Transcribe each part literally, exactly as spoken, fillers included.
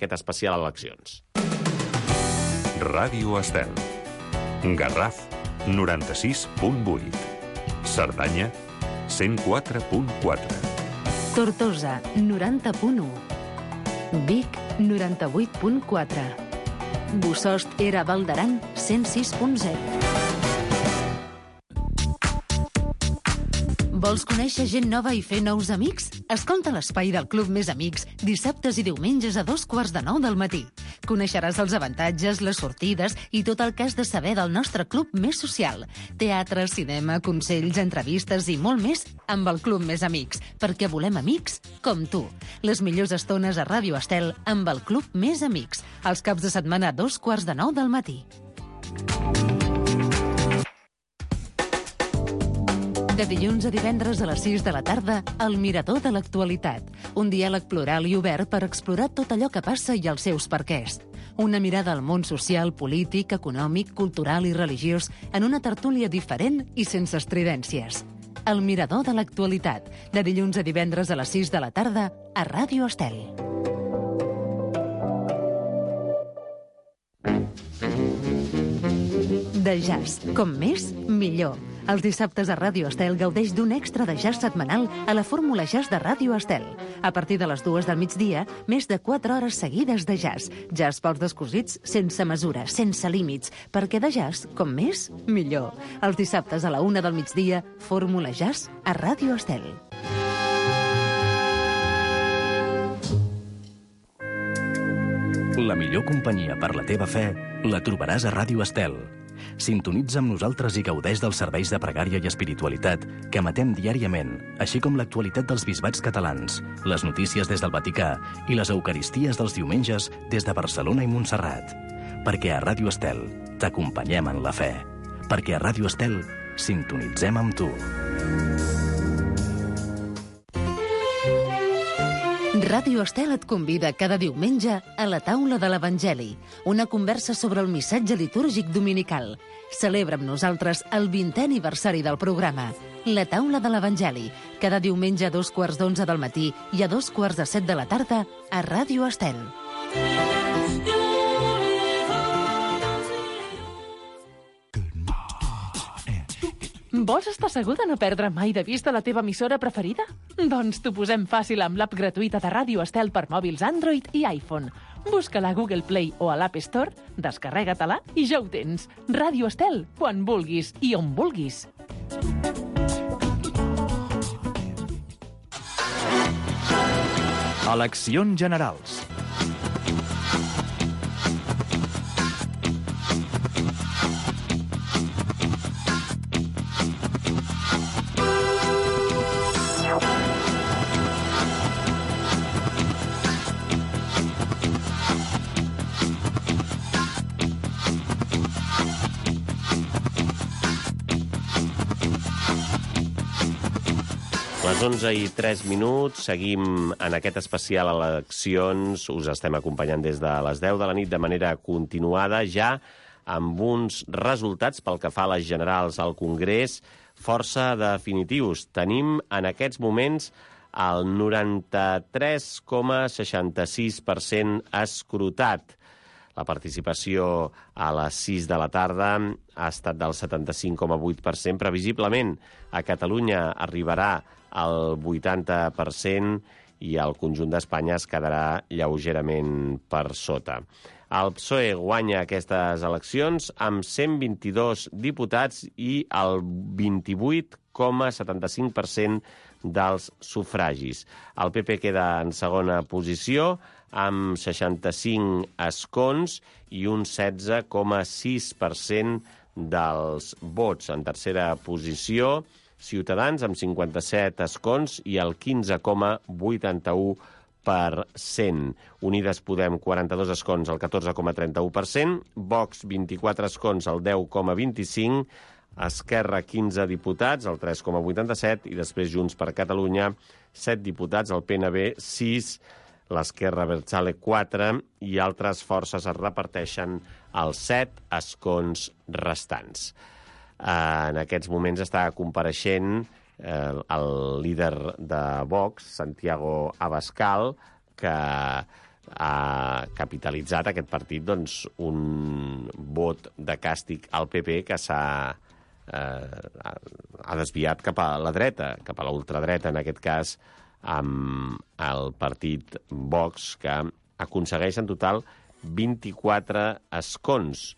aquest especial eleccions. Ràdio Estel. Garraf, noranta-sis punt vuit. Cerdanya, cent quatre punt quatre. Tortosa, noranta punt u. Vic, noranta-vuit punt quatre. Bossòst Era Val d'Aran, cent sis punt zero. Vols conèixer gent nova i fer nous amics? Escolta l'espai del Club Més Amics dissabtes i diumenges a dos quarts de nou del matí. Coneixeràs els avantatges, les sortides i tot el que has de saber del nostre club més social. Teatre, cinema, consells, entrevistes i molt més amb el Club Més Amics, perquè volem amics com tu. Les millors estones a Ràdio Estel amb el Club Més Amics, els caps de setmana a dos quarts de nou del matí. De dilluns a divendres a les sis de la tarda, El Mirador de l'Actualitat. Un diàleg plural i obert per explorar tot allò que passa i els seus perquès. Una mirada al món social, polític, econòmic, cultural i religiós en una tertúlia diferent i sense estridències. El Mirador de l'Actualitat. De dilluns a divendres a les sis de la tarda a Ràdio Estel. De jazz. Com més, millor. Els dissabtes a Ràdio Estel gaudeix d'un extra de jazz setmanal a la Fórmula Jazz de Ràdio Estel. A partir de les dues del migdia, més de quatre hores seguides de jazz. Jazz pels descosits, sense mesura, sense límits, perquè de jazz, com més, millor. Els dissabtes a la una del migdia, Fórmula Jazz a Ràdio Estel. La millor companyia per la teva fe la trobaràs a Ràdio Estel. Sintonitza amb nosaltres i gaudeix dels serveis de pregària i espiritualitat que emetem diàriament, així com l'actualitat dels bisbats catalans, les notícies des del Vaticà i les eucaristies dels diumenges des de Barcelona i Montserrat. Perquè a Ràdio Estel t'acompanyem en la fe. Perquè a Ràdio Estel sintonitzem amb tu. Ràdio Estel et convida cada diumenge a la taula de l'Evangeli, una conversa sobre el missatge litúrgic dominical. Celebra amb nosaltres el vintè aniversari del programa, la taula de l'Evangeli, cada diumenge a dos quarts d'onze del matí i a dos quarts de set de la tarda a Ràdio Estel. Vols estar segur de no perdre mai de vista la teva emissora preferida? Doncs t'ho posem fàcil amb l'app gratuïta de Ràdio Estel per mòbils Android i iPhone. Busca-la a Google Play o a l'App Store, descarrega-te-la i ja ho tens. Ràdio Estel, quan vulguis i on vulguis. Eleccions generals. Les onze i tres minuts, seguim en aquest especial eleccions, us estem acompanyant des de les deu de la nit de manera continuada, ja amb uns resultats pel que fa a les generals al Congrés força definitius. Tenim en aquests moments el noranta-tres coma seixanta-sis per cent escrutat. La participació a les sis de la tarda ha estat del setanta-cinc coma vuit per cent. Previsiblement, a Catalunya arribarà al vuitanta per cent i el conjunt d'Espanya es quedarà lleugerament per sota. El P S O E guanya aquestes eleccions amb cent vint-i-dos diputats i el vint-i-vuit coma setanta-cinc per cent dels sufragis. El P P queda en segona posició amb seixanta-cinc escons i un setze coma sis per cent dels vots. En tercera posició, Ciutadans amb cinquanta-set escons i el quinze coma vuitanta-u per cent. Unides Podem, quaranta-dos escons, el catorze coma trenta-u per cent. Vox, vint-i-quatre escons, el deu coma vint-i-cinc. Esquerra, quinze diputats, el tres coma vuitanta-set. I després Junts per Catalunya, set diputats, el P N B, sis, l'Esquerra Abertzale, quatre, i altres forces es reparteixen els set escons restants. En aquests moments està compareixent eh, el líder de Vox, Santiago Abascal, que ha capitalitzat aquest partit doncs, un vot de càstig al P P que s'ha eh, ha desviat cap a la dreta, cap a la ultradreta, en aquest cas, amb el partit Vox, que aconsegueix en total vint-i-quatre escons.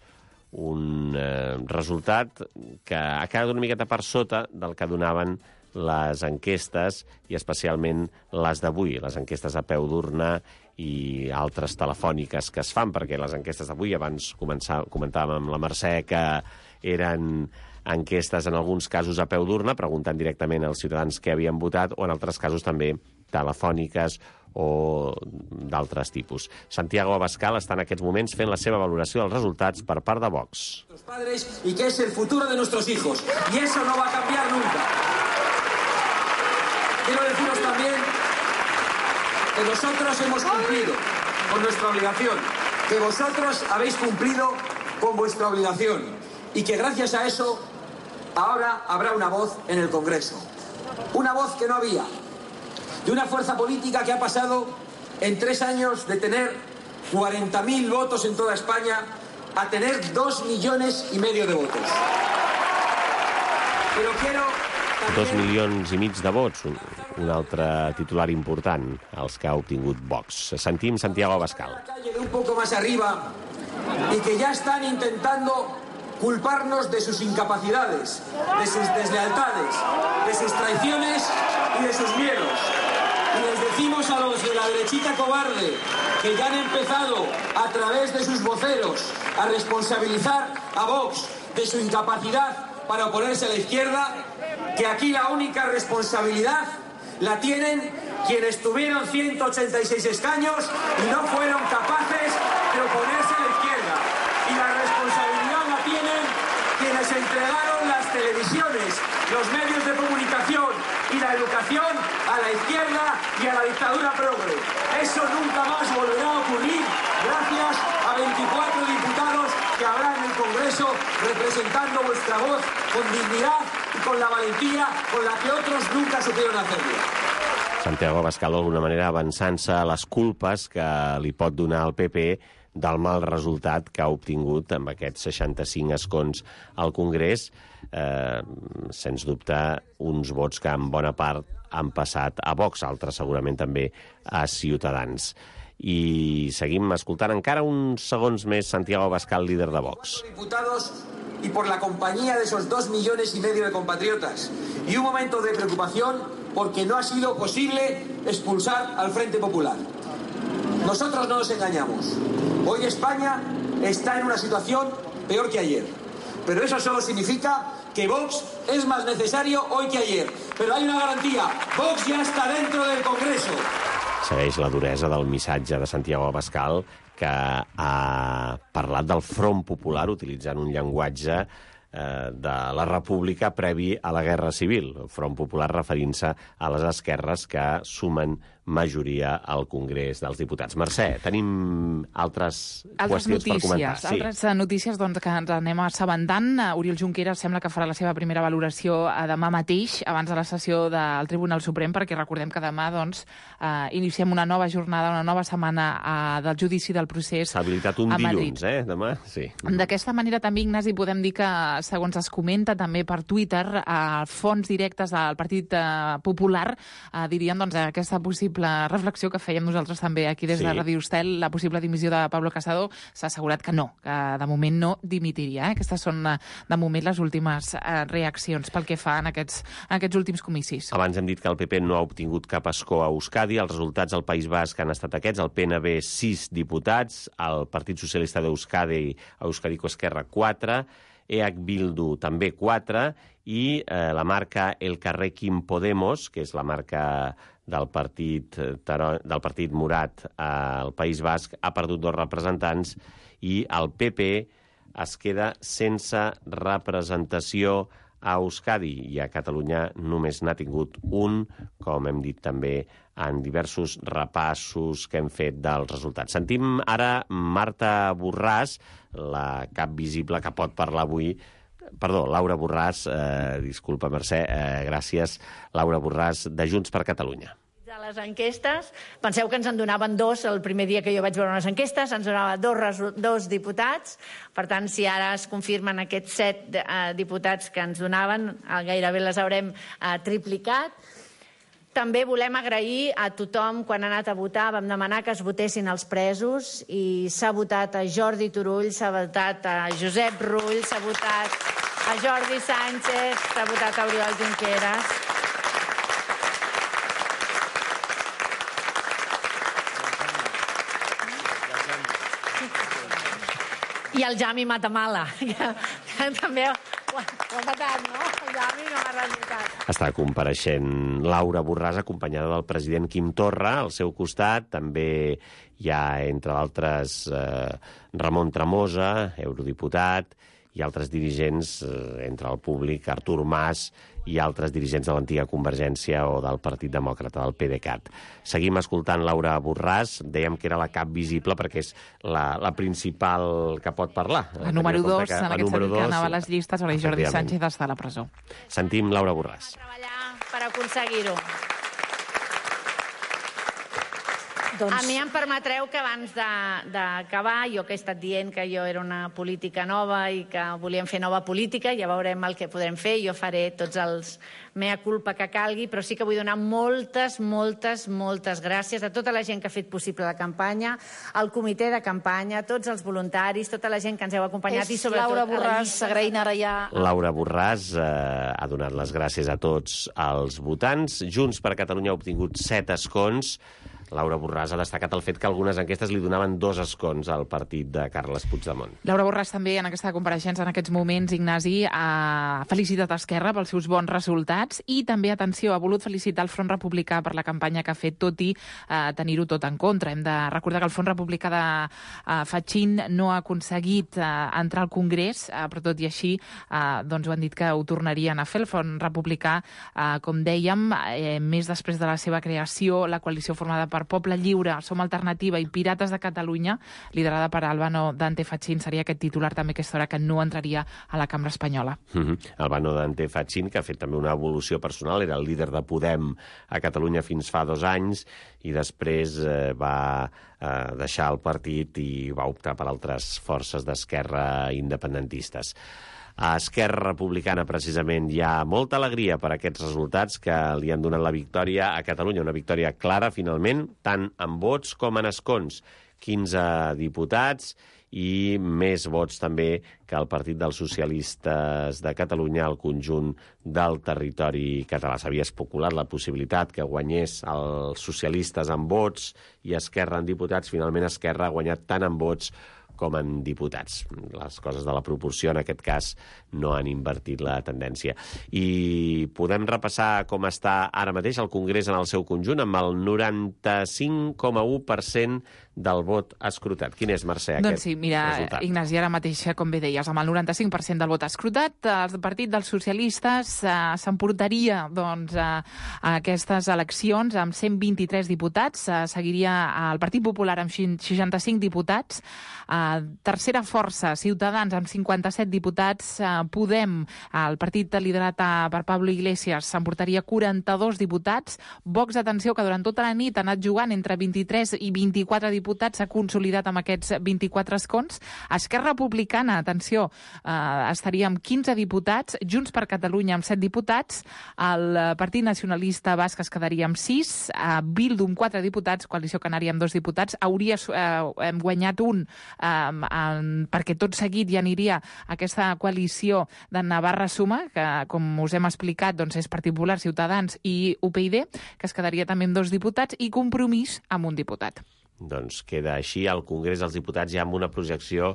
Un eh, resultat que ha quedat una miqueta per sota del que donaven les enquestes, i especialment les d'avui, les enquestes a peu d'urna i altres telefòniques que es fan, perquè les enquestes d'avui, abans començà, comentàvem amb la Mercè, que eren enquestes en alguns casos a peu d'urna, preguntant directament als ciutadans què havien votat, o en altres casos també telefòniques o d'altres tipus. Santiago Abascal està en aquests moments fent la seva valoració dels resultats per part de Vox. Padres y que es el futuro de nuestros hijos, y eso no va a cambiar nunca. Quiero deciros también que nosotros hemos cumplido con nuestra obligación, que vosotros habéis cumplido con vuestra obligación, y que gracias a eso ahora habrá una voz en el Congreso. Una voz que no había, de una fuerza política que ha pasado en tres años de tener cuarenta mil votos en toda España a tener dos millones y medio de votos. Pero quiero... Dos milions i mig de vots, un, un altre titular important, els que ha obtingut Vox. Sentim Santiago Abascal. De un poco más arriba, y que ya están intentando culparnos de sus incapacidades, de sus deslealtades, de sus traiciones y de sus miedos. Y les decimos a los de la derechita cobarde, que ya han empezado a través de sus voceros a responsabilizar a Vox de su incapacidad para oponerse a la izquierda, que aquí la única responsabilidad la tienen quienes tuvieron ciento ochenta y seis escaños y no fueron capaces de oponerse a la izquierda. Y la responsabilidad la tienen quienes entregaron las televisiones, los medios de comunicación y la educación a la izquierda y a la dictadura progre. Eso nunca más volverá a ocurrir gracias a veinticuatro diputados que habrá en el Congreso representando vuestra voz con dignidad y con la valentía con la que otros nunca supieron hacerlo. Santiago Abascal, d'alguna manera, avançant-se a les culpes que li pot donar el P P del mal resultat que ha obtingut amb aquests seixanta-cinc escons al Congrés, eh, sens dubte uns vots que en bona part han passat a Vox, altres segurament també a Ciutadans. I seguim escoltant encara uns segons més Santiago Abascal, líder de Vox. Diputados y por la compañía de esos dos millones y medio de compatriotas, y un momento de preocupación porque no ha sido posible expulsar al Frente Popular. Nosotros no nos engañamos. Hoy España está en una situación peor que ayer. Pero eso solo significa que Vox es más necesario hoy que ayer. Pero hay una garantía. Vox ya está dentro del Congreso. Segueix la duresa del missatge de Santiago Abascal, que ha parlat del Front Popular utilitzant un llenguatge eh, de la República previ a la Guerra Civil. El Front Popular referint-se a les esquerres que sumen majoria al Congrés dels Diputats. Mercè, tenim altres, altres qüestions notícies, per comentar. Sí. Altres notícies doncs, que ens anem assabentant. Oriol Junqueras sembla que farà la seva primera valoració demà mateix, abans de la sessió del Tribunal Suprem, perquè recordem que demà doncs, eh, iniciem una nova jornada, una nova setmana eh, del judici del procés a Madrid. S'ha habilitat un dilluns, eh, demà? Sí. D'aquesta manera també, Ignasi, podem dir que, segons es comenta també per Twitter, eh, fons directes del Partit eh, Popular eh, dirien doncs, aquesta possible la reflexió que fèiem nosaltres també aquí des de sí. Radio Estel, la possible dimissió de Pablo Casado, s'ha assegurat que no, que de moment no dimitiria. Eh? Aquestes són, de moment, les últimes eh, reaccions pel que fa en aquests, en aquests últims comicis. Abans hem dit que el P P no ha obtingut cap escó a Euskadi. Els resultats al País Basc han estat aquests. El P N B, sis diputats. El Partit Socialista d'Euskadi, Euskadiko Esquerra, quatre. E H Bildu, també quatre. I eh, la marca Elkarrekin Podemos, que és la marca del partit, del partit Morat al País Basc, ha perdut dos representants i el P P es queda sense representació a Euskadi i a Catalunya només n'ha tingut un, com hem dit també en diversos repassos que hem fet dels resultats. Sentim ara Marta Borràs, la cap visible que pot parlar avui. Perdó, Laura Borràs, eh, disculpa Mercè, eh, gràcies, Laura Borràs, de Junts per Catalunya. les enquestes. Penseu que ens en donaven dos el primer dia que jo vaig veure unes enquestes, ens donava dos, dos diputats. Per tant, si ara es confirmen aquests set eh, diputats que ens donaven, gairebé les haurem eh, triplicat. També volem agrair a tothom quan ha anat a votar. Vam demanar que es votessin els presos i s'ha votat a Jordi Turull, s'ha votat a Josep Rull, s'ha votat a Jordi Sánchez, s'ha votat a Oriol Junqueras. I el Jami Matamala, que, que també ho, ho ha matat, no? El Jami no m'ha resultat. Està compareixent Laura Borràs, acompanyada del president Quim Torra. Al seu costat també hi ha, entre d'altres, eh, Ramon Tremosa, eurodiputat, i altres dirigents, eh, entre el públic, Artur Mas, i altres dirigents de l'antiga Convergència o del Partit Demòcrata, del PDeCAT. Seguim escoltant Laura Borràs. Dèiem que era la cap visible perquè és la, la principal que pot parlar. La número dos, que, en aquest sentit, que anava a les llistes, o la Jordi Sánchez està a la presó. Sentim Laura Borràs. Treballar per aconseguir-ho. Doncs... A mi em permetreu que abans d'acabar, jo que he estat dient que jo era una política nova i que volíem fer nova política, ja veurem el que podrem fer, jo faré tots els mea culpa que calgui, però sí que vull donar moltes, moltes, moltes gràcies a tota la gent que ha fet possible la campanya, al comitè de campanya, a tots els voluntaris, tota la gent que ens heu acompanyat i sobretot... Laura Borràs, agraint ara ja... Laura Borràs eh, ha donat les gràcies a tots els votants. Junts per Catalunya ha obtingut set escons. Laura Borràs ha destacat el fet que algunes enquestes li donaven dos escons al partit de Carles Puigdemont. Laura Borràs també, en aquesta compareixença, en aquests moments, Ignasi, ha felicitat Esquerra pels seus bons resultats i també, atenció, ha volut felicitar el Front Republicà per la campanya que ha fet, tot i eh, tenir-ho tot en contra. Hem de recordar que el Front Republicà de eh, Fatxín no ha aconseguit eh, entrar al Congrés, eh, però tot i així eh, doncs ho han dit que ho tornarien a fer. El Front Republicà, eh, com dèiem, eh, més després de la seva creació, la coalició formada per Poble Lliure, Som Alternativa i Pirates de Catalunya, liderada per Albano Dante Fatxín, seria aquest titular també aquesta hora que no entraria a la cambra espanyola. Mm-hmm. Albano Dante Fatxín, que ha fet també una evolució personal, era el líder de Podem a Catalunya fins fa dos anys i després eh, va eh, deixar el partit i va optar per altres forces d'esquerra independentistes. A Esquerra Republicana, precisament, hi ha molta alegria per aquests resultats que li han donat la victòria a Catalunya. Una victòria clara, finalment, tant en vots com en escons. quinze diputats i més vots també que el Partit dels Socialistes de Catalunya al conjunt del territori català. S'havia especulat la possibilitat que guanyés els socialistes en vots i Esquerra en diputats. Finalment, Esquerra ha guanyat tant en vots com en diputats. Les coses de la proporció, en aquest cas, no han invertit la tendència. I podem repassar com està ara mateix el Congrés en el seu conjunt, amb el noranta-cinc coma u per cent del vot escrutat. Quin és, Mercè, aquest doncs sí, mira, resultat? Ignasi, ara mateix, com bé deies, amb el noranta-cinc per cent del vot escrutat, el Partit dels Socialistes eh, s'emportaria doncs, a, a aquestes eleccions amb cent vint-i-tres diputats, eh, seguiria el Partit Popular amb seixanta-cinc diputats, eh, tercera força, Ciutadans, amb cinquanta-set diputats, eh, Podem, el partit liderat per Pablo Iglesias, s'emportaria quaranta-dos diputats, Vox, atenció, que durant tota la nit ha anat jugant entre vint-i-tres i vint-i-quatre diputats, s'ha consolidat amb aquests vint-i-quatre escons. Esquerra Republicana, atenció, eh, estaria amb quinze diputats, Junts per Catalunya amb set diputats, el Partit Nacionalista Basc es quedaria amb sis, eh, Bildu amb quatre diputats, Coalició Canària amb dos diputats, hauria eh, guanyat un eh, en, perquè tot seguit ja aniria aquesta coalició de Navarra Suma, que, com us hem explicat, doncs és Partit Popular, Ciutadans i U P y D, que es quedaria també amb dos diputats, i Compromís amb un diputat. Doncs queda així al Congrés dels Diputats ja amb una projecció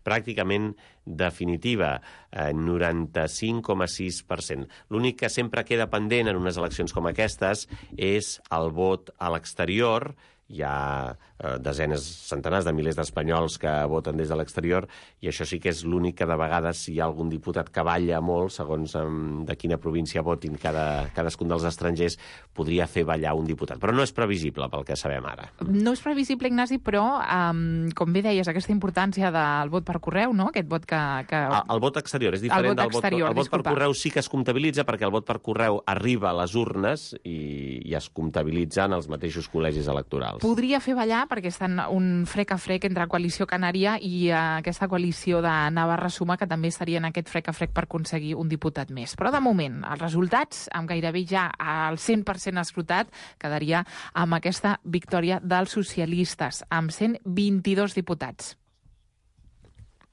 pràcticament definitiva, eh, noranta-cinc coma sis per cent. L'únic que sempre queda pendent en unes eleccions com aquestes és el vot a l'exterior. Hi ha desenes, centenars de milers d'espanyols que voten des de l'exterior, i això sí que és l'únic que de vegades si hi ha algun diputat que balla molt, segons de quina província votin cada, cadascun dels estrangers, podria fer ballar un diputat. Però no és previsible pel que sabem ara. No és previsible, Ignasi, però um, com bé deies, aquesta importància del vot per correu, no? Aquest vot que... que... El, el vot exterior és diferent el vot del exterior, vot... El vot disculpa. per correu sí que es comptabilitza perquè el vot per correu arriba a les urnes i, i es comptabilitza en els mateixos col·legis electorals. Podria fer ballar perquè estan un frec a frec entre Coalició Canària i uh, aquesta coalició de Navarra Suma, que també estaria en aquest frec a frec per aconseguir un diputat més. Però de moment, els resultats, amb gairebé ja al cent per cent escrutat, quedaria amb aquesta victòria dels socialistes, amb cent vint-i-dos diputats.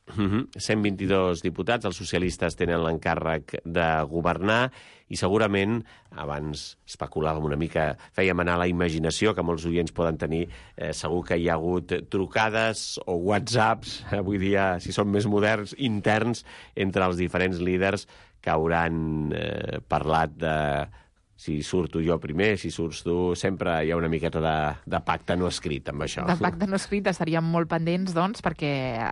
Mm-hmm. cent vint-i-dos diputats, els socialistes tenen l'encàrrec de governar i segurament, abans especulàvem una mica, fèiem anar a la imaginació que molts oients poden tenir, eh, segur que hi ha hagut trucades o whatsapps, avui dia, si són més moderns, interns entre els diferents líders que hauran eh, parlat de si surto jo primer, si surts tu, sempre hi ha una miqueta de, de pacte no escrit amb això. De pacte no escrit estaríem molt pendents, doncs, perquè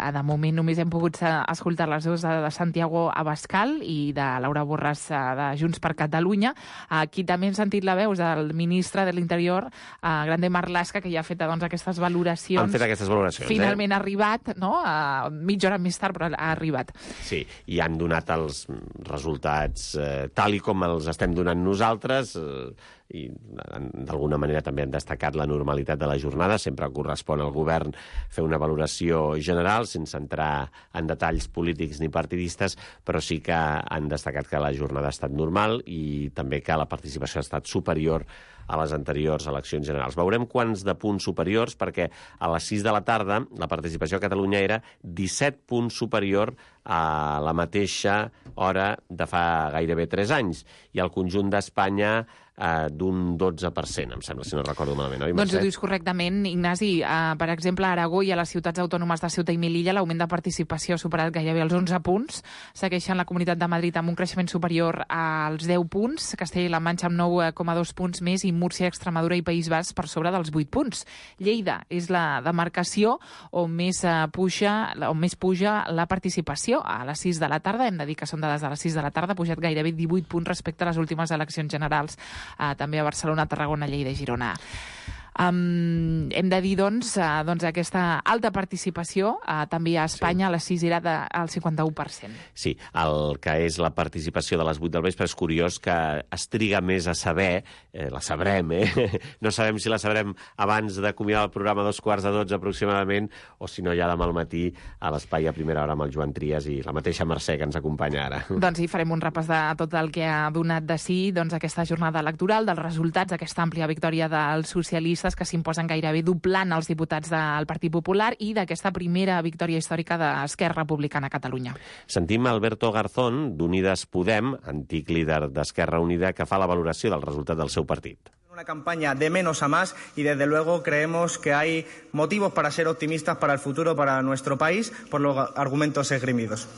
de moment només hem pogut escoltar les veus de Santiago Abascal i de Laura Borràs de Junts per Catalunya. Aquí també hem sentit la veu del ministre de l'Interior, Grande Marlaska, que ja ha fet doncs, aquestes valoracions. Han fet aquestes valoracions, Finalment eh? ha arribat, no? Uh, mitja hora més tard, però ha arribat. Sí, i han donat els resultats eh, tal i com els estem donant nosaltres, i d'alguna manera també han destacat la normalitat de la jornada. Sempre correspon al govern fer una valoració general sense entrar en detalls polítics ni partidistes, però sí que han destacat que la jornada ha estat normal i també que la participació ha estat superior a les anteriors eleccions generals. Veurem quants de punts superiors, perquè a les sis de la tarda la participació a Catalunya era disset punts superior a la mateixa hora de fa gairebé tres anys, i al conjunt d'Espanya eh, d'un dotze per cent, em sembla, si no recordo malament, oi, Mercè? Doncs ho dius correctament, Ignasi. Uh, per exemple, a Aragó i a les ciutats autònomes de Ceuta i Melilla l'augment de participació ha superat gairebé els onze punts. Segueixen la Comunitat de Madrid amb un creixement superior als deu punts, Castella i la Manxa amb nou coma dos punts més i Múrcia, Extremadura i País Basc per sobre dels vuit punts. Lleida és la demarcació on més, uh, puja, on més puja la participació. A les sis de la tarda, hem de dir que són dades de les sis de la tarda, ha pujat gairebé divuit punts respecte a les últimes eleccions generals, uh, també a Barcelona, Tarragona, Lleida i Girona. Um, hem de dir, doncs, uh, doncs aquesta alta participació uh, també a Espanya, sí. A les sis era del cinquanta-u per cent. Sí, el que és la participació de les vuit del vespre és curiós que es triga més a saber, eh, la sabrem, eh? No sabem si la sabrem abans d'acomiadar el programa a dos quarts de dotze aproximadament, o si no ja demà al matí a l'espai a primera hora amb el Joan Trias i la mateixa Mercè que ens acompanya ara. Doncs sí, farem un repàs de tot el que ha donat de si doncs, aquesta jornada electoral, dels resultats, aquesta àmplia victòria dels socialistes que s'imposen gairebé doblant els diputats del Partit Popular i d'aquesta primera victòria històrica d'Esquerra Republicana a Catalunya. Sentim Alberto Garzón, d'Unides Podem, antic líder d'Esquerra Unida, que fa la valoració del resultat del seu partit. Una campaña de menos a más y desde luego creemos que hay motivos para ser optimistas para el futuro, para nuestro país, por los argumentos esgrimidos.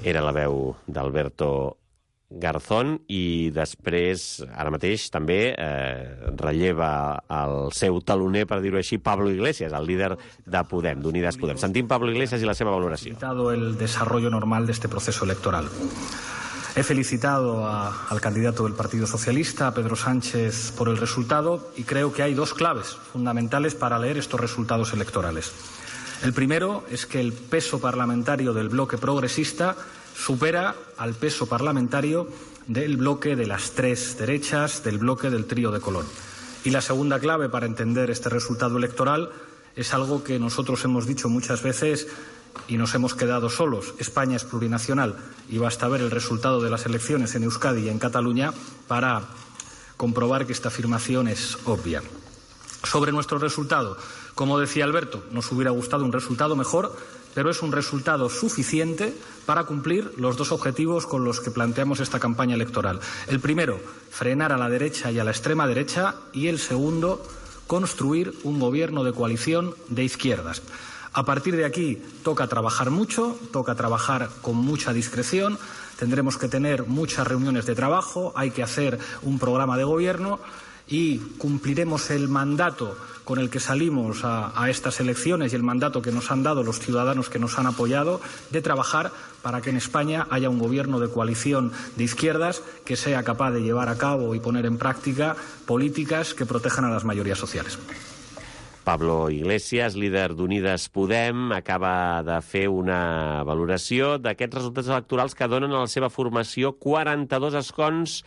Era la veu d'Alberto Garzón i després, ara mateix, també eh, relleva el seu taloner, per dir-ho així, Pablo Iglesias, el líder de Podem, d'Unides Podem. Sentim Pablo Iglesias i la seva valoració. He felicitado el desarrollo normal de este proceso electoral. He felicitado a, al candidato del Partido Socialista, a Pedro Sánchez, por el resultado y creo que hay dos claves fundamentales para leer estos resultados electorales. El primero es que el peso parlamentario del bloque progresista supera al peso parlamentario del bloque de las tres derechas, del bloque del trío de Colón. Y la segunda clave para entender este resultado electoral es algo que nosotros hemos dicho muchas veces y nos hemos quedado solos. España es plurinacional y basta ver el resultado de las elecciones en Euskadi y en Cataluña para comprobar que esta afirmación es obvia. Sobre nuestro resultado, como decía Alberto, nos hubiera gustado un resultado mejor, pero es un resultado suficiente para cumplir los dos objetivos con los que planteamos esta campaña electoral. El primero, frenar a la derecha y a la extrema derecha, y el segundo, construir un gobierno de coalición de izquierdas. A partir de aquí toca trabajar mucho, toca trabajar con mucha discreción, tendremos que tener muchas reuniones de trabajo, hay que hacer un programa de gobierno y cumpliremos el mandato con el que salimos a, a estas elecciones y el mandato que nos han dado los ciudadanos que nos han apoyado, de trabajar para que en España haya un gobierno de coalición de izquierdas que sea capaz de llevar a cabo y poner en práctica políticas que protejan a las mayorías sociales. Pablo Iglesias, líder d'Unides Podem, acaba de fer una valoració d'aquests resultats electorals que donen a la seva formació quaranta-dos escons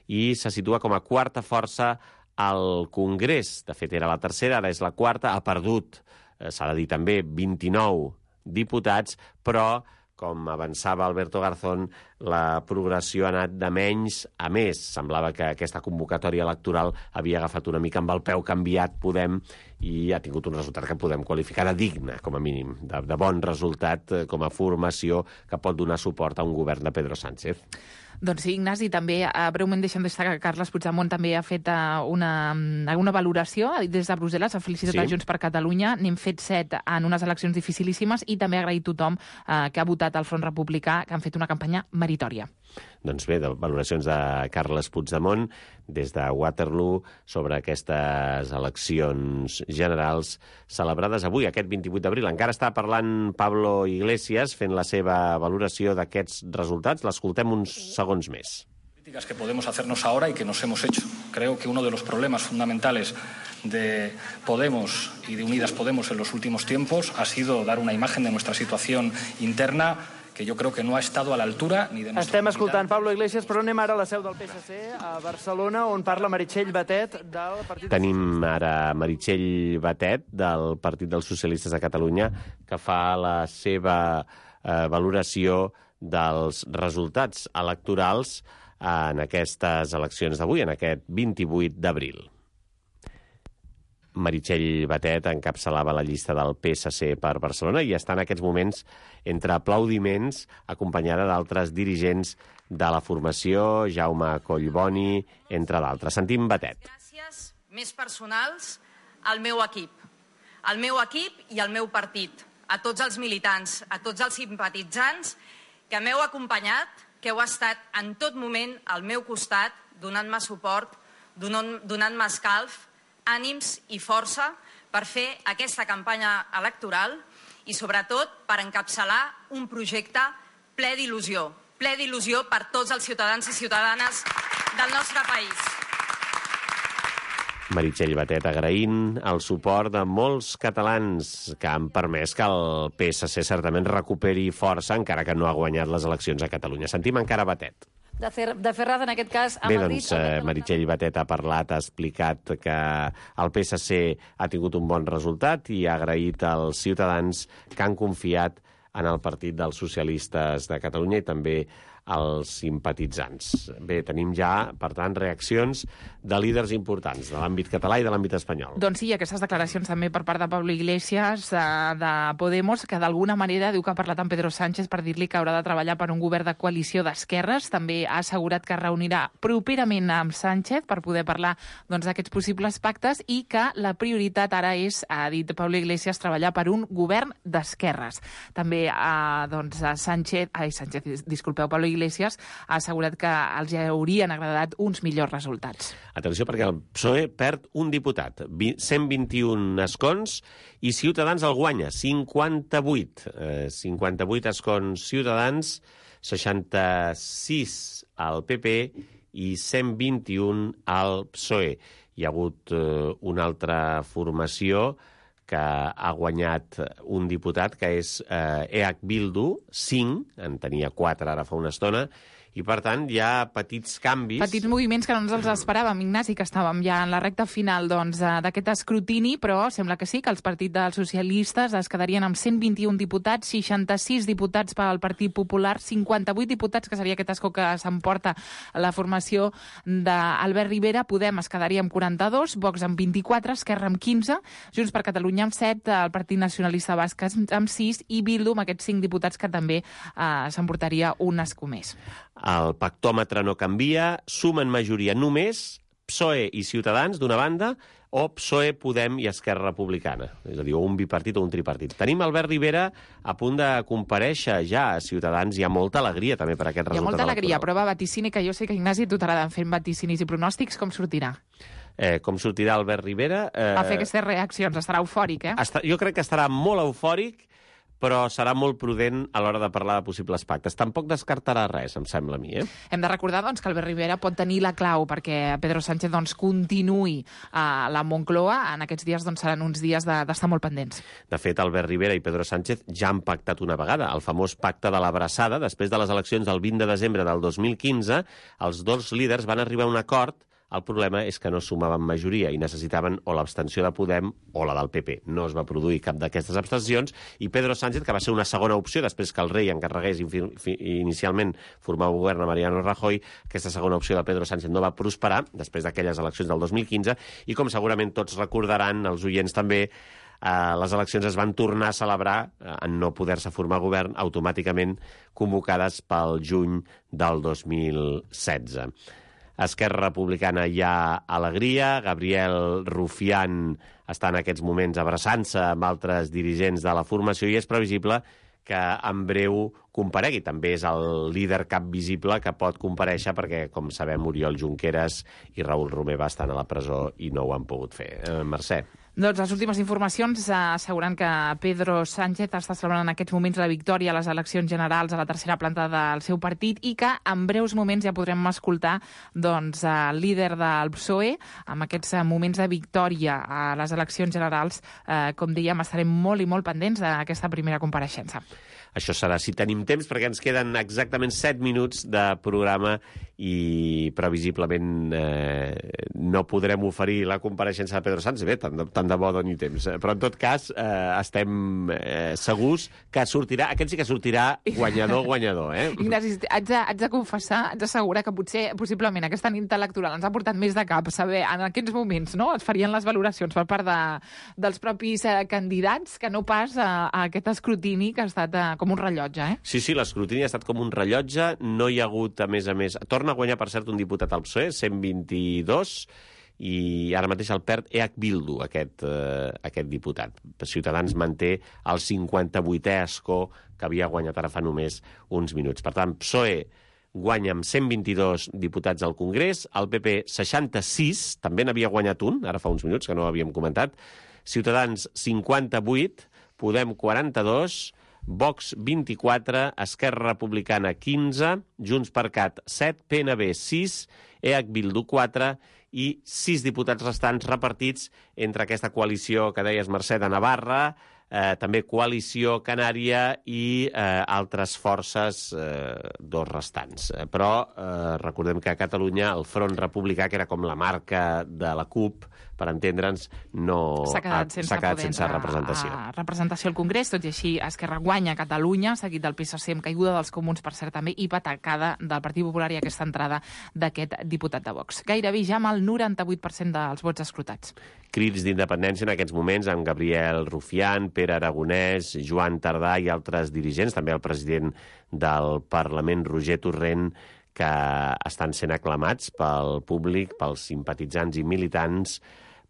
i se situa com a quarta força al Congrés. De fet, era la tercera, ara és la quarta. Ha perdut, s'ha de dir també, vint-i-nou diputats, però, com avançava Alberto Garzón, la progressió ha anat de menys a més. Semblava que aquesta convocatòria electoral havia agafat una mica amb el peu canviat Podem i ha tingut un resultat que podem qualificar de digne, com a mínim, de, de bon resultat com a formació que pot donar suport a un govern de Pedro Sánchez. Doncs sí, Ignasi, també uh, breument deixem destacar que Carles Puigdemont també ha fet uh, una, una valoració, ha dit des de Brussel·les, ha felicitat sí. a Junts per Catalunya, n'hem fet set en unes eleccions dificilíssimes i també ha agraït tothom uh, que ha votat al Front Republicà, que han fet una campanya meritòria. Doncs bé, de valoracions de Carles Puigdemont des de Waterloo sobre aquestes eleccions generals celebrades avui, aquest vint-i-vuit d'abril. Encara està parlant Pablo Iglesias fent la seva valoració d'aquests resultats. L'escoltem uns segons més. Críticas que podemos hacernos ahora y que nos hemos hecho. Creo que uno de los problemas fundamentales de Podemos y de Unidas Podemos en los últimos tiempos ha sido dar una imagen de nuestra situación interna que jo crec que no ha estat a l'altura ni de... Estem escoltant Pablo Iglesias, però anem ara a la seu del P S C, a Barcelona, on parla Meritxell Batet del Partit... Tenim ara Meritxell Batet del Partit dels Socialistes de Catalunya, que fa la seva eh, valoració dels resultats electorals en aquestes eleccions d'avui, en aquest vint-i-vuit d'abril. Meritxell Batet encapçalava la llista del P S C per Barcelona i està en aquests moments entre aplaudiments, acompanyada d'altres dirigents de la formació, Jaume Collboni, entre d'altres. Sentim Batet. Gràcies més personals al meu equip, al meu equip i al meu partit, a tots els militants, a tots els simpatitzants que m'heu acompanyat, que heu estat en tot moment al meu costat, donant-me suport, donant-me escalf, ànims i força per fer aquesta campanya electoral i, sobretot, per encapçalar un projecte ple d'il·lusió, ple d'il·lusió per tots els ciutadans i ciutadanes del nostre país. Meritxell Batet agraint el suport de molts catalans que han permès que el P S C certament recuperi força, encara que no ha guanyat les eleccions a Catalunya. Sentim encara Batet. De, fer, de Ferraz, en aquest cas, a Bé, Madrid... doncs, eh, Meritxell Batet ha parlat, ha explicat que el P S C ha tingut un bon resultat i ha agraït als ciutadans que han confiat en el Partit dels Socialistes de Catalunya i també als simpatitzants. Bé, tenim ja, per tant, reaccions de líders importants de l'àmbit català i de l'àmbit espanyol. Doncs sí, aquestes declaracions també per part de Pablo Iglesias, de, de Podemos, que d'alguna manera diu que ha parlat amb Pedro Sánchez per dir-li que haurà de treballar per un govern de coalició d'esquerres. També ha assegurat que es reunirà properament amb Sánchez per poder parlar doncs, d'aquests possibles pactes i que la prioritat ara és, ha dit Pablo Iglesias, treballar per un govern d'esquerres. També ha, doncs, Sánchez, ai, Sánchez, disculpeu, Pablo Iglesias ha assegurat que els haurien agradat uns millors resultats. Atenció, perquè el P S O E perd un diputat, cent vint-i-un escons, i Ciutadans el guanya, cinquanta-vuit. Eh, cinquanta-vuit escons Ciutadans, seixanta-sis al P P i cent vint-i-un al P S O E. Hi ha hagut eh, una altra formació que ha guanyat un diputat, que és eh, E H Bildu, cinc, en tenia quatre ara fa una estona, i, per tant, hi ha petits canvis... Petits moviments que no ens els esperàvem, Ignasi, que estàvem ja en la recta final doncs, d'aquest escrutini, però sembla que sí, que els partits dels socialistes es quedarien amb cent vint-i-un diputats, seixanta-sis diputats pel Partit Popular, cinquanta-vuit diputats, que seria aquest escó que s'emporta la formació d'Albert Rivera, Podem es quedaria amb quaranta-dos, Vox amb vint-i-quatre, Esquerra amb quinze, Junts per Catalunya amb set, el Partit Nacionalista Basc amb sis i Bildu amb aquests cinc diputats que també eh, s'emportaria un escó més. El pactòmetre no canvia, sumen majoria només P S O E i Ciutadans, d'una banda, o P S O E, Podem i Esquerra Republicana. És a dir, un bipartit o un tripartit. Tenim Albert Rivera a punt de comparèixer ja a Ciutadans. Hi ha molta alegria també per aquest resultat electoral. Hi ha molta alegria, electoral. prova vaticini, que jo sé que Ignasi tu t'agrada fer vaticinis i pronòstics. Com sortirà? Eh, com sortirà Albert Rivera? Eh, A fer aquestes reaccions. Estarà eufòric, eh? Està, jo crec que estarà molt eufòric, però serà molt prudent a l'hora de parlar de possibles pactes. Tampoc descartarà res, em sembla a mi. Eh? Hem de recordar doncs, que Albert Rivera pot tenir la clau perquè Pedro Sánchez doncs, continuï a la Moncloa. En aquests dies doncs, seran uns dies d'estar de, molt pendents. De fet, Albert Rivera i Pedro Sánchez ja han pactat una vegada, el famós pacte de l'abraçada. Després de les eleccions del vint de desembre del dos mil quinze, els dos líders van arribar a un acord. El problema és que no sumaven majoria i necessitaven o l'abstenció de Podem o la del P P. No es va produir cap d'aquestes abstencions i Pedro Sánchez, que va ser una segona opció després que el rei encarregués inicialment formar un govern a Mariano Rajoy, aquesta segona opció de Pedro Sánchez no va prosperar després d'aquelles eleccions del dos mil quinze i, com segurament tots recordaran, els oients també, eh, les eleccions es van tornar a celebrar eh, en no poder-se formar govern automàticament convocades pel juny del dos mil setze. A Esquerra Republicana hi ha alegria. Gabriel Rufián està en aquests moments abraçant-se amb altres dirigents de la formació i és previsible que en breu comparegui. També és el líder cap visible que pot comparèixer perquè, com sabem, Oriol Junqueras i Raül Romeva estan a la presó i no ho han pogut fer. Eh, Mercè. Doncs les últimes informacions asseguren que Pedro Sánchez està celebrant en aquests moments la victòria a les eleccions generals a la tercera planta del seu partit i que en breus moments ja podrem escoltar doncs, el líder del P S O E amb aquests moments de victòria a les eleccions generals. Eh, com dèiem, estarem molt i molt pendents d'aquesta primera compareixença. Això serà si tenim temps, perquè ens queden exactament set minuts de programa i previsiblement eh, no podrem oferir la compareixença de Pedro Sánchez. Bé, tant de, tant de bo doni temps. Però, en tot cas, eh, estem eh, segurs que sortirà, aquest sí que sortirà guanyador, guanyador. Eh? Ignasi, haig de, haig de confessar, haig d'assegurar que potser, possiblement, aquesta nit electoral ens ha portat més de cap saber en aquests moments, no?, es farien les valoracions per part de, dels propis eh, candidats que no pas a, a aquest escrutini que ha estat eh, com un rellotge, eh? Sí, sí, l'escrutini ha estat com un rellotge. No hi ha hagut, a més a més... Torna a guanyar, per cert, un diputat al P S O E, cent vint-i-dos, i ara mateix el perd E H Bildu, aquest, eh, aquest diputat. Ciutadans manté el cinquanta-vuitè escó que havia guanyat ara fa només uns minuts. Per tant, P S O E guanya amb cent vint-i-dos diputats al Congrés, el P P seixanta-sis, també n'havia guanyat un, ara fa uns minuts, que no ho havíem comentat, Ciutadans cinquanta-vuit, Podem quaranta-dos, Vox vint-i-quatre, Esquerra Republicana quinze, Junts per Cat set, P N B sis, E H Bildu quatre i sis diputats restants repartits entre aquesta coalició que deies, Mercè, de Navarra, eh, també coalició canària i eh, altres forces, eh, dos restants. Eh, però eh, recordem que a Catalunya el Front Republicà, que era com la marca de la CUP, per entendre'ns, no s'ha quedat sense, quedat sense representació. A, a representació al Congrés, tot i així Esquerra guanya a Catalunya, seguit del P S C amb caiguda dels Comuns, per cert, també, i patacada del Partit Popular i aquesta entrada d'aquest diputat de Vox. Gairebé ja amb el noranta-vuit per cent dels vots escrutats. Crits d'independència en aquests moments amb Gabriel Rufián, Pere Aragonès, Joan Tardà i altres dirigents, també el president del Parlament, Roger Torrent, que estan sent aclamats pel públic, pels simpatitzants i militants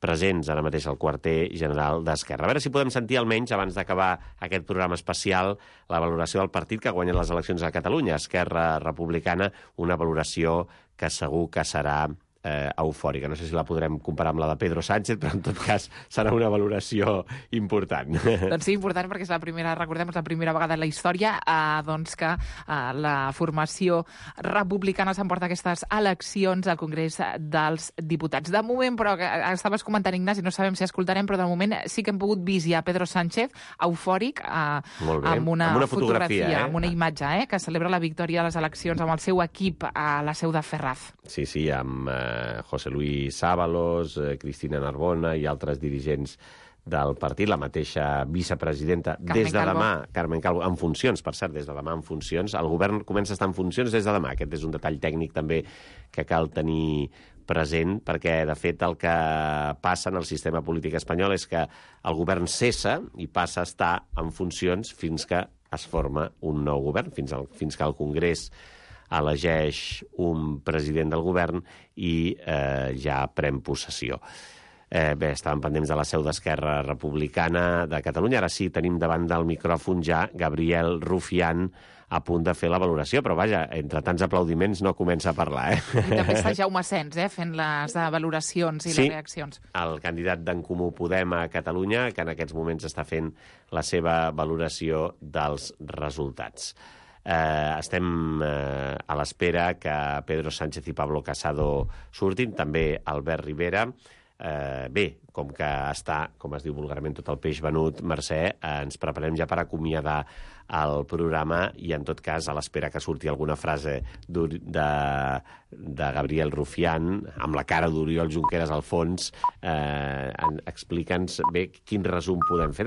presents ara mateix al quarter general d'Esquerra. A veure si podem sentir almenys, abans d'acabar aquest programa especial, la valoració del partit que ha guanyat les eleccions a Catalunya, Esquerra Republicana, una valoració que segur que serà eh, eufòrica. No sé si la podrem comparar amb la de Pedro Sánchez, però en tot cas serà una valoració important. Doncs sí, important, perquè és la primera, recordem, és la primera vegada en la història eh, doncs que eh, la formació republicana s'emporta aquestes eleccions al Congrés dels Diputats. De moment, però, que estaves comentant, Ignasi, no sabem si escoltarem, però de moment sí que hem pogut vist ja Pedro Sánchez eufòric eh, Molt bé. amb una, amb una fotografia, fotografia eh? amb una imatge, eh, que celebra la victòria de les eleccions amb el seu equip a la seu de Ferraz. Sí, sí, amb eh, José Luis Ábalos, eh, Cristina Narbona i altres dirigents del partit, la mateixa vicepresidenta Carmen des de Calvo. demà, Carmen Calvo, en funcions, per cert, des de demà en funcions. El govern comença a estar en funcions des de demà. Aquest és un detall tècnic també que cal tenir present, perquè, de fet, el que passa en el sistema polític espanyol és que el govern cessa i passa a estar en funcions fins que es forma un nou govern, fins, al, fins que el Congrés elegeix un president del govern i eh, ja pren possessió. Eh, bé, estàvem pendents de la seu d'Esquerra Republicana de Catalunya. Ara sí, tenim davant del micròfon ja Gabriel Rufián, a punt de fer la valoració, però vaja, entre tants aplaudiments no comença a parlar, eh? I també està Jaume Sens, eh, fent les valoracions i sí, les reaccions. El candidat d'en Comú Podem a Catalunya, que en aquests moments està fent la seva valoració dels resultats. Eh, estem eh, a l'espera que Pedro Sánchez i Pablo Casado surtin, també Albert Rivera. Eh, bé, com que està, com es diu vulgarment, tot el peix venut, Mercè, eh, ens preparem ja per acomiadar el programa i, en tot cas, a l'espera que surti alguna frase de, de Gabriel Rufián, amb la cara d'Oriol Junqueras al fons, eh, explica'ns bé quin resum podem fer